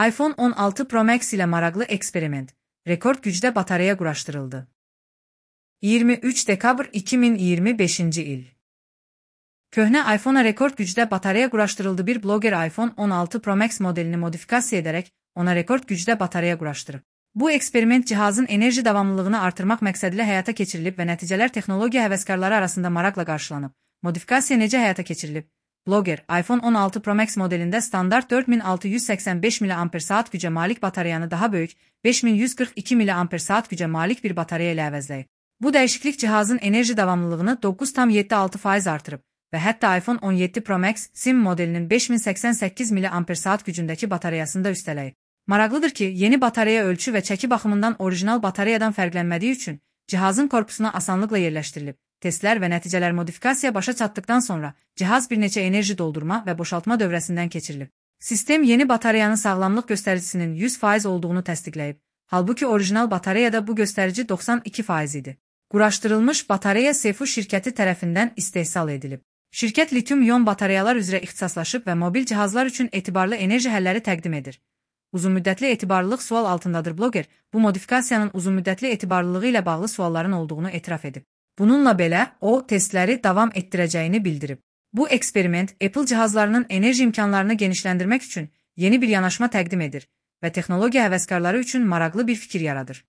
iPhone 16 Pro Max ilə maraqlı eksperiment, rekord gücdə batareya quraşdırıldı. 23 dekabr 2025-ci il. Köhnə iPhone-a rekord gücdə batareya quraşdırıldı. Bir bloger iPhone 16 Pro Max modelini modifikasiya edərək ona rekord gücdə batareya quraşdırıb. Bu eksperiment cihazın enerji davamlılığını artırmaq məqsədilə həyata keçirilib və nəticələr texnologiya həvəskarları arasında maraqla qarşılanıb. Modifikasiya necə həyata keçirilib? Bloger, iPhone 16 Pro Max modelində standart 4685 mAh gücə malik batareyanı daha böyük 5142 mAh gücə malik bir batareya ilə əvəzləyib. Bu dəyişiklik cihazın enerji davamlılığını 9,76% artırıb və hətta iPhone 17 Pro Max SIM modelinin 5088 mAh gücündəki batareyasını da üstələyib. Maraqlıdır ki, yeni batareya ölçü və çəki baxımından orijinal batareyadan fərqlənmədiyi üçün cihazın korpusuna asanlıqla yerləşdirilib. Testlər və nəticələr modifikasiya başa çatdıqdan sonra cihaz bir neçə enerji doldurma və boşaltma dövrəsindən keçirilib. Sistem yeni batareyanın sağlamlıq göstəricisinin 100% olduğunu təsdiqləyib. Halbuki orijinal batareyada bu göstərici 92% idi. Quraşdırılmış batareya Sefu şirkəti tərəfindən istehsal edilib. Şirkət litium-ion batareyalar üzrə ixtisaslaşıb və mobil cihazlar üçün etibarlı enerji həlləri təqdim edir. Uzunmüddətli etibarlılıq sual altındadır. Bloger, bu modifikasiyanın uzunmüddətli etibarlılığı ilə bağlı sualların olduğunu etiraf edib. Bununla belə, o, testləri davam etdirəcəyini bildirib. Bu eksperiment Apple cihazlarının enerji imkanlarını genişləndirmək üçün yeni bir yanaşma təqdim edir və texnologiya həvəskarları üçün maraqlı bir fikir yaradır.